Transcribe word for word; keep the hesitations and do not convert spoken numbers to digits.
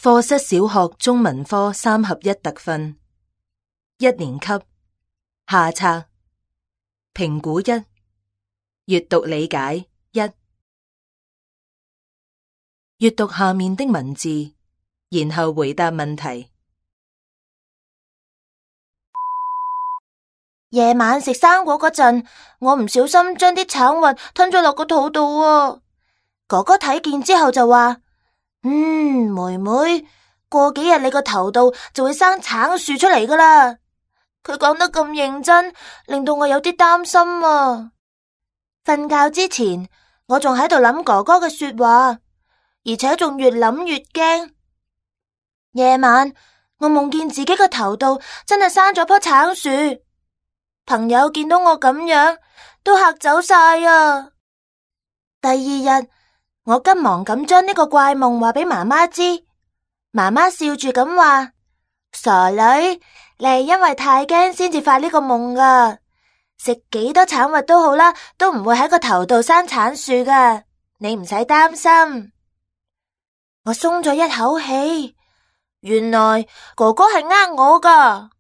課室小學中文科三合一特訓，一年級下冊，評估一，閱讀理解一，閱讀下面的文字，然後回答問題。夜晚食生果嗰陣，我唔小心將啲橙核吞咗落個肚度啊！哥哥睇見之後就話：嗯，妹妹，過幾日你個頭度就會生橙樹出嚟噶啦。佢講得咁認真，令到我有啲擔心啊！瞓覺之前，我仲喺度諗哥哥嘅說話，而且仲越諗越驚。夜晚我夢見自己個頭度真係生咗棵橙樹，朋友見到我咁樣都嚇走晒啊！第二日，我急忙咁將呢個怪夢話俾媽媽知，媽媽笑住咁話：傻女，你係因為太驚先至發呢個夢噶，食幾多橙核都好啦，都唔會喺個頭度生橙樹噶，你唔使擔心。我鬆咗一口氣，原來哥哥係呃我噶。